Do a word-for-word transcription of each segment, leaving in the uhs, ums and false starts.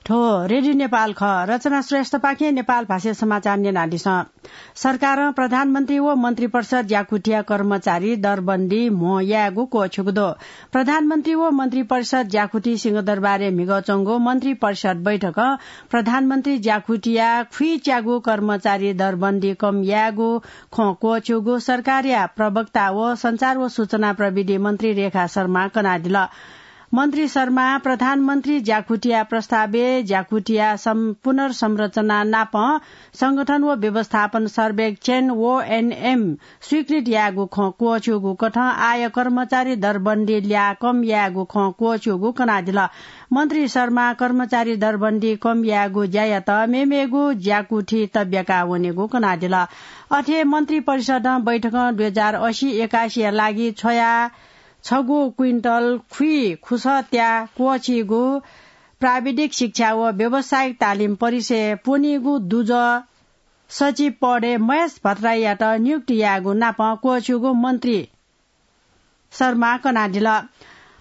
थ्व रेडियो नेपाल खः। रचना श्रेष्ठपाखें नेपाल भाषाय् समाचार न्यनादिसँ। सरकारं प्रधानमन्त्री व मन्त्रिपरिषद ज्याकुथिया कर्मचारी दरबन्दी म्हो यायेगु क्वःछ्यूगु दु। प्रधानमन्त्री व मन्त्रिपरिषद ज्याकुथि सिंहदरबारय् म्हिगः च्वंगु मन्त्रिपरिषद बैठकं प्रधानमन्त्री ज्याकुथिया खुइच्यागु कर्मचारी दरबन्दी कम यायेगु खँ क्वःछ्यूगु सरकारया प्रवक्ता व सञ्चार व सूचना प्रविधि मन्त्री रेखा शर्मां कनादिल। मन्त्री शर्मां प्रधानमन्त्री ज्याकुथिया प्रस्तावय् ज्याकुथिया सं-, पुनर्संरचना नाप संगठन व व्यवस्थापन सर्वेक्षण, ओएनएम, स्वीकृत यायेगु खँ क्वःछ्यूगु कथं आः कर्मचारी दरबन्दी ल्याः कम यायेगु खँ क्वःछ्यूगु कनादिल। मन्त्री शर्मां कर्मचारी दरबन्दी कम यायेगु ज्यायात मेमेगु ज्याकुथि तब्याका वनेगु कनादिल। अथे मन्त्रिपरिषदं बैठकं दुई हजार असी एकासीया लागि छ्वया छगू क्विन्टल खुइ खुसः त्या क्वःछीगु प्राविधिक शिक्षा व व्यावसायिक तालिम परिसरय् प्वनीगु दुजः सचिव पदय् महेश भट्टराईयात नियुक्ति यायेगु नाप क्वःछ्यूगु मन्त्री शर्मां कनादिल।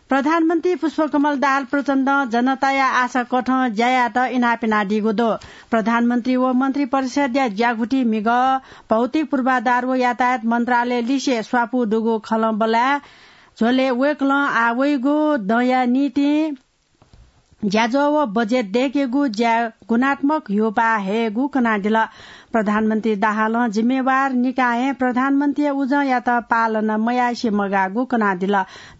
प्रधानमन्त्री पुष्पकमल दाहाल प्रचण्डं जनताया आशा कथं ज्या यायेत इनाप यानादीगु दु। प्रधानमन्त्री व मन्त्रिपरिषदया ज्याकुथि म्हिगः भौतिक पूर्वाधार व यातायात मन्त्रालय लिसे स्वापू दुगु खँल्हाबल्हा झ्वलय् वय्कलं आः वइगु दँया निंतिं ज्याझ्वः व बजेट दय्केगु ज्याय् गुणात्मक ह्यूपाः हयेगु कनादिल। प्रधानमन्त्री दाहालं जिम्मेवार निकायं प्रधानमन्त्रीया उजंयात पालना मयासें मगाःगु कनादिल।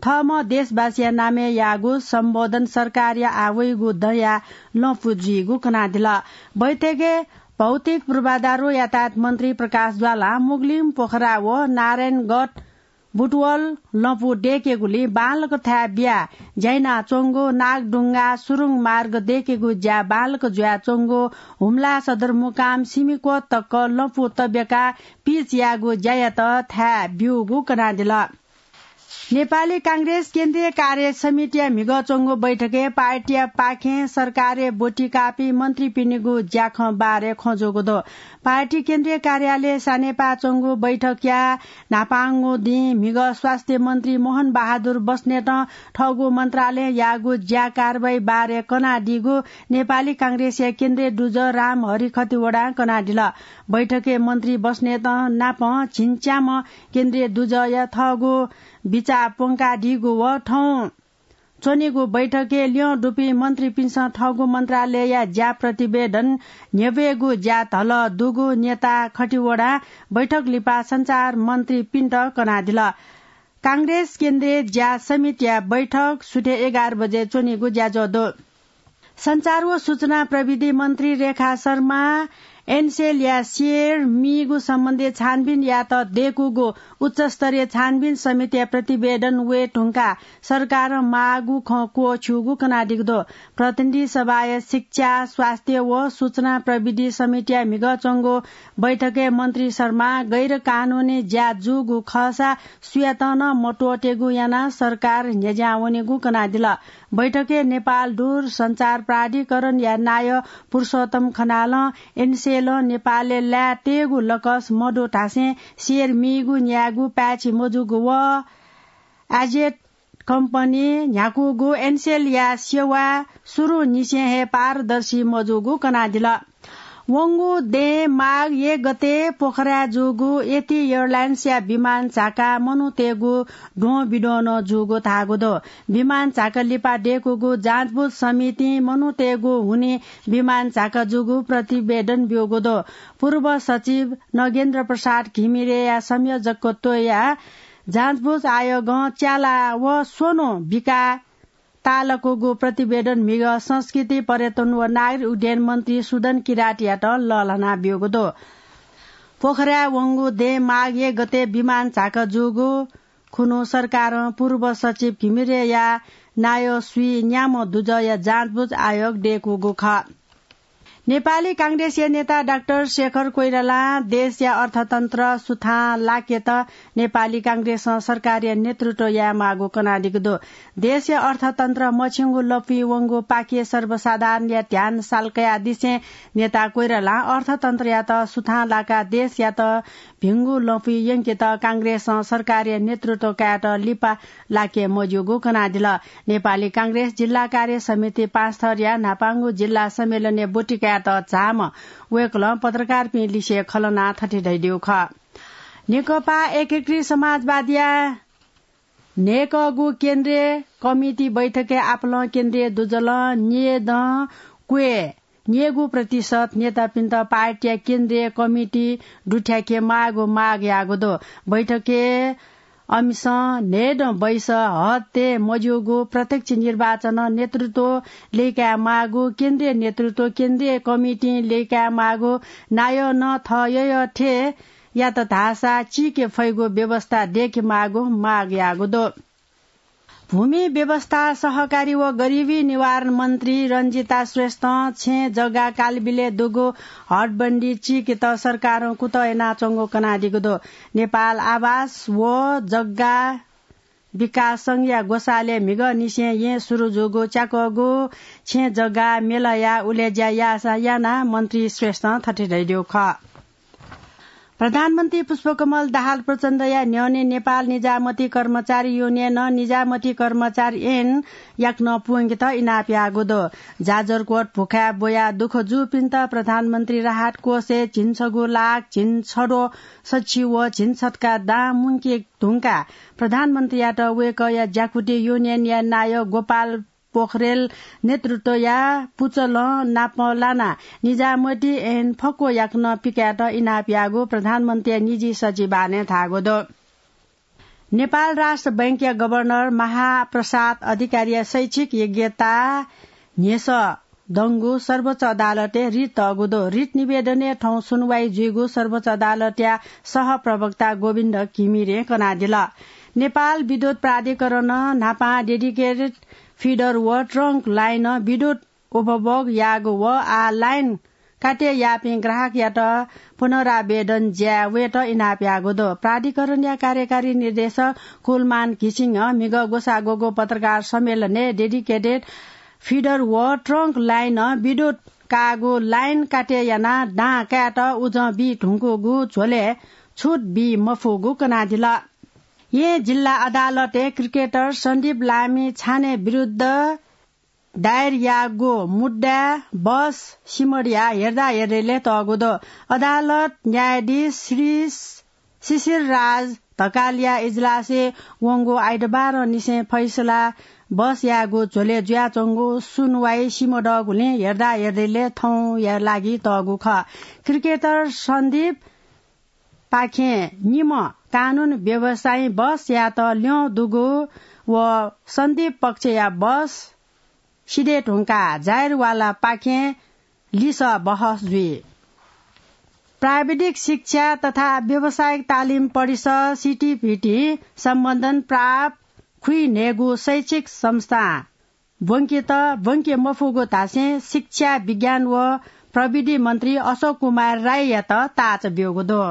थःम्हं देशवासीया नामय् याःगु सम्बोधन सरकारया आः वइगु दँया लँपु जुइगु कनादिल। बैठकय् भौतिक पूर्वाधार व यातायात मन्त्री प्रकाश ज्वालां मुगलिङ, पोखरा व नारायणगढ बुटवल लँपु दय्केगुलिं बांलाक थाय् बियाः ज्या यानाच्वंगु, नागढुङ्गा सुरुङ मार्ग दय्केगु ज्या बांलाक जुयाच्वंगु, हुम्ला सदरमुकाम सिमिकोट तक लँपु तब्याकाः पिच यायेगु ज्यायात थाय् ब्यूगु कनादिल। नेपाली कांग्रेस केन्द्रीय कार्य समितिया म्हिगः च्वंगु बैठकय् पार्टीया पाखें सरकारय् ब्वति काःपिं मन्त्रीपिनिगु ज्याखँ बारे खँ जूगु दु। पार्टी केन्द्रीय कार्यालय सानेपाः च्वंगु बैठकया न्हापांगु दिं म्हिगः स्वास्थ्य मन्त्री मोहन बहादुर बस्नेतं थःगु मन्त्रालयं याःगु ज्या कारवाही बारे कनादीगु नेपाली कांग्रेसया केन्द्रीय दुजः रामहरि खतिवडां कनादिल। बैठकय् मन्त्री बस्नेतं नाप झिंच्याम्ह केन्द्रीय दुजःया थःगु बिचाः प्वंकादीगु व थौं च्वनीगु बैठकय् ल्यं दुपिं मन्त्रीपिन्सं थःगु मन्त्रालयया ज्या प्रतिवेदन न्ह्यब्वयेगु ज्या धलः दुगु नेता खतिवडां बैठक लिपा सञ्चार मन्त्रीपिन्त कनादिल। कांग्रेस केन्द्रीय ज्या समितिया बैठक सुथय् एघार बजे च्वनीगु ज्याझ्वः दु। सञ्चार व सूचना प्रविधि मन्त्री रेखा शर्मा एनसेलया सेयर मीगु सम्बन्धी छानबिन यायेत दय्कूगु उच्चस्तरीय छानबिन समितिया प्रतिवेदन वये धुंकाः सरकारं माःगु खँ क्वःछ्यूगु कनादीगु दु। प्रतिनिधि सभाया शिक्षा, स्वास्थ्य व सूचना प्रविधि समितिया म्हिगः च्वंगु बैठकय् मन्त्री शर्मां गैर कानूनी ज्या जूगु खःसा सुयातं नं मत्वःतेगु यानाः सरकार न्ह्यज्यां वनेगु कनादिल। बैठकय् नेपाल दूरसञ्चार प्राधिकरणया नायः पुरुषोत्तम खनालं एनसेलं नेपालय् लाये तयेगु लकस मदु धासें सेयर मीगु न्यायेगु पाय्छि मजूगु व एजेट कम्पनी न्ह्याकूगु एनसेलया सेवा सुरुंनिसें हे पारदर्शी मजूगु कनादिल। वंगु दँय् माघ एक गते पोखराय् जूगु एथी एयरलाइन्सया विमान झाकाः मनूतय्गु द्वंबिद्वं नं जूगु धाःगु दु। विमान झाका लिपा दय्कूगु जाँचबुझ समितिं मनूतय्गु हुनिं विमान झाका जूगु प्रतिवेदन ब्यूगु दु। पूर्व सचिव नगेन्द्र प्रसाद घिमिरेया संयोजकत्वया जाँचबुझ आयोगं च्याला व स्वन्हु बिकाः ताःलाकूगु प्रतिवेदन म्हिगः संस्कृति, पर्यटन व नागरिक उड्डयन मन्त्री सुदन किरातयात लःल्हाना ब्यूगु दु। पोखराय् वंगु दँय् माघ एक गते विमान झाका जूगु खुन्हु सरकारं पूर्व सचिव घिमिरेया नायः स्वीन्याम्ह दुजःया जाँचबुझ आयोग दय्कूगु खः। नेपाली कांग्रेसया नेता डाक्टर शेखर कोइरालां देशया अर्थतन्त्र सुथां लाकेत नेपाली कांग्रेसं सरकारया नेतृत्व यायेमाःगु कनादीगु दु। देशया अर्थतन्त्र मछिंगु लँपुइ वंगु पाखे सर्वसाधारणया ध्यान साल्कायादिसें नेता कोइरालां अर्थतन्त्रयात सुथां लाकाः देशयात भिंगु लँपुइ यंकेत कांग्रेसं सरकारया नेतृत्व कायेत लिपा लाके मज्यूगु कनादिल। नेपाली कांग्रेस जिल्ला कार्य समिति पाँचथरया न्हापांगु जिल्ला सम्मेलनय् ब्वति कायेत झाःम्ह वय्कलं पत्रकारपिं लिसे खँ ल्हानाः थथे धयादीगु खः। नेकपा एकीकृत समाजवादया न्हय्कःगु केन्द्रीय कमिटी बैठकय् आपालं केन्द्रीय दुजलं न्यय्दँ क्वय् न्यय्गू प्रतिशत नेतापिन्त पार्टीया केन्द्रीय कमिटी दुथ्याके माःगु माग याःगु दु। बैठकय् अमिसं न्हय्दँ बैस हते मज्यूगु प्रत्यक्ष निर्वाचनं नेतृत्व लय्काये माःगु, केन्द्रीय नेतृत्व केन्द्रीय कमिटिं लय्काये माःगु, नायः नं थः यःयःथें यात धाःसा चीके फइगु व्यवस्था दय्के माःगु माग याःगु दु। भूमि व्यवस्था, सहकारी व गरिबी निवारण मन्त्री रञ्जिता श्रेष्ठं छेँ जग्गा कालबिलय् दुगु हटबन्दी चीकेत सरकारं कुतः यानाच्वंगु कनादीगु दु। नेपाल आवास व जग्गा विकास संघया ग्वसालय् म्हिगःनिसें येँ सुरु जूगु च्याकःगु छेँ जग्गा मेलाया उलेज्या याःसा यानाः मन्त्री श्रेष्ठं थथे धयादीगु खः। प्रधानमन्त्री पुष्पकमल दाहाल प्रचण्डया न्ह्यःने नेपाल निजामती कर्मचारी युनियनं निजामती कर्मचारी ऐन याकनं पूवंकेत इनाप याःगु दु। जाजरकोट भुखाय् ब्वयाः दुःख जूपिन्त प्रधानमन्त्री राहत कोषय् झिंछगू लाख झिंछदँ सछि व झिंछतका दां मुंके धुंकाः प्रधानमन्त्रीयात वय्कःया ज्याकुथि युनियनया नायः गोपाल पोखरेल नेतृत्वया पुचलं नाप लानाः निजामती ऐन फक्व याकनं पिकायेत इनाप याःगु प्रधानमन्त्रीया निजी सचिवालयं धाःगु दु। नेपाल राष्ट्र बैंकया गभर्नर महाप्रसाद अधिकारीया शैक्षिक योग्यता न्ह्यसः दंगु सर्वोच्च अदालतय् रिट तःगु दु। रिट निवेदनय् थौं सुनवाई जुइगु सर्वोच्च अदालतया सहप्रवक्ता गोविन्द घिमिरें कनादिल। नेपाल विद्युत प्राधिकरणं न्हापां डेडिकेटेड फिडर व ट्रंक लाइनं विद्युत उपभोग याःगु व आः लाइन काटे याःपिं ग्राहकयात पुनरावेदन ज्याय् वयेत इनाप याःगु दु। प्राधिकरणया कार्यकारी निर्देशक कुलमान घिसिङं म्हिगः ग्वसाः ग्वःगु पत्रकार सम्मेलनय् डेडिकेटेड फिडर व ट्रंक लाइनं विद्युत काःगु लाइन काटे यानाः दां कायेत उजं बी धुंकूगु झ्वलय् छुट बी मफुगु कनादिल। येँ जिल्ला अदालतय् क्रिकेटर सन्दीप लामी छाने विरुद्ध दायर याःगु मुद्दाय् बस सिमडिया हेर्दा हेर्दैले तःगु दु। अदालत न्यायाधीश श्री शिशिर राज ढकालया इजलासय् वंगु आइतबारंनिसें फैसला बस याःगु झ्वलय् जुयाच्वंगु सुनवाई सिमदःगुलिं हेर्दा हेर्दैले थौंया लागि तःगु खः। क्रिकेटर सन्दीप पाखें निम्ह कानून व्यवसायी बसयात ल्यं दुगु व सन्दीप पक्षया बस सिधये धुंकाः जाहिरवालापाखें लिसः बहस जुइ। प्राविधिक शिक्षा तथा व्यावसायिक तालिम परिषद, सिटिभिटी, सम्बन्धन प्राप्त खुइन्हय्गू शैक्षिक संस्थां ब्वंकेत, ब्वंके मफुगु धासें शिक्षा, विज्ञान व प्रविधि मन्त्री अशोक कुमार राईयात ताःचा ब्यूगु दु।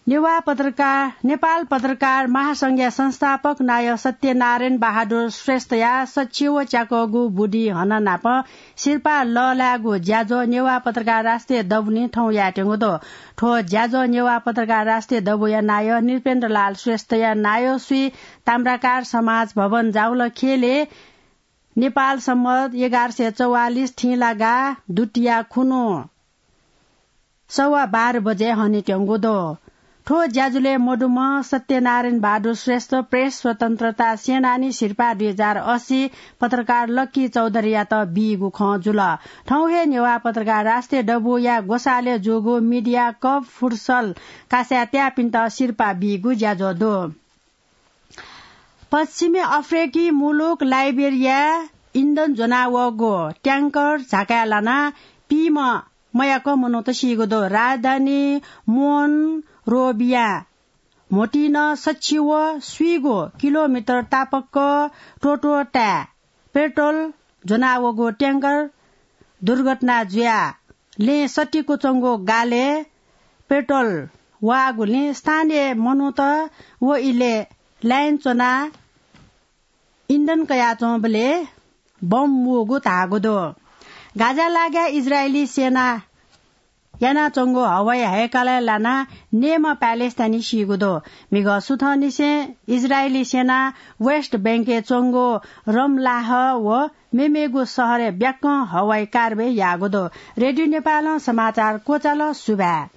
नेवाः पत्रकार, नेपाल पत्रकार महासंघया संस्थापक नायः सत्यनारायण बहादुर श्रेष्ठया सछि व च्याकःगु बुदिं हनाः नापं सिरपाः लःल्हायेगु ज्याझ्वः नेवाः पत्रकार राष्ट्रिय दबुलिं थौं यायेत्यंगु दु। थ्व ज्याझ्वः नेवाः पत्रकार राष्ट्रिय दबुया नायः नृपेन्द्रलाल श्रेष्ठया नायःसुइ ताम्राकार समाज भवन जावल खेलय् नेपाल सम्बत एघार सय चौवालिस थिंलागा दुतिया खुन्हु सवा बाह्र बजे हनेत्यंगु दु। थ्व ज्याझ्वलय् मदुम्ह सत्यनारायण बहादुर श्रेष्ठ प्रेस स्वतन्त्रता सेनानी सिरपाः दुई हजार अस्सी पत्रकार लक्की चौधरीयात बीगु खँ जुल। थौं हे नेवाः पत्रकार राष्ट्रिय दबुया ग्वसालय् जूगु मिडिया कप फुटसल कासाय् त्याःपिन्त सिरपाः बीगु ज्याझ्वः दु। पश्चिमी अफ्रिकी मुलुक लाइबेरियाय् इन्धन ज्वनावःगु ट्याङ्कर झाकाय् लानाः पीम्ह मयाक मनूत सीगु दु। राजधानी मोनरोभिया म्होतिं सछि व स्वीगू किलोमिटर तापाक्क त्वःत्वःताय् पेट्रोल ज्वनावःगु ट्याङ्कर दुर्घटना जुयाः लँय् सतिकूच्वंगु गालय् पेट्रोल वाःगुलिं स्थानीय मनूत व इलय् लाइन च्वनाः इन्धन कयाच्वंबलय् बम वूगु धाःगु दु। गाजा लागाय् इजरायली सेनां यानाच्वंगु हवाई हैकालय् लानाः नेमा प्यालेस्तानी सीगु दु। म्हिगः सुथंनिसें इजरायली सेनां वेस्ट बैंकय् च्वंगु रमलाह व मेमेगु शहरय् ब्याक्कं हवाई कारवाही याःगु दु। रेडियो नेपालं समाचार क्वचाल। सुभाय्।